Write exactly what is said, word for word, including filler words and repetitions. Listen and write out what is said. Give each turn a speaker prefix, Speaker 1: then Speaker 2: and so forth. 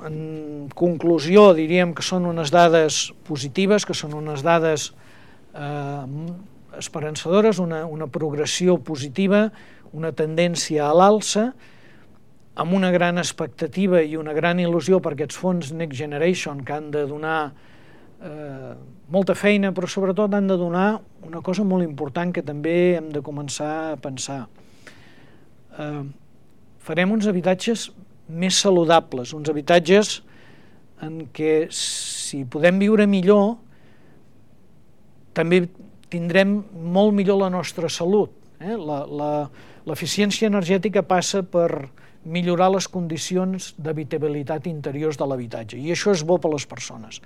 Speaker 1: en conclusió, diríem que són unes dades positives, que són unes dades eh, esperançadores, una, una progressió positiva, una tendència a l'alça, amb una gran expectativa i una gran il·lusió per aquests fons Next Generation, que han de donar eh, molta feina, però sobretot han de donar una cosa molt important que també hem de començar a pensar. Eh, farem uns habitatges més saludables, uns habitatges en què, si podem viure millor, també tindrem molt millor la nostra salut. Eh? La, la, l'eficiència energètica passa per millorar les condicions d'habitabilitat interiors de l'habitatge, i això és bo per a les persones.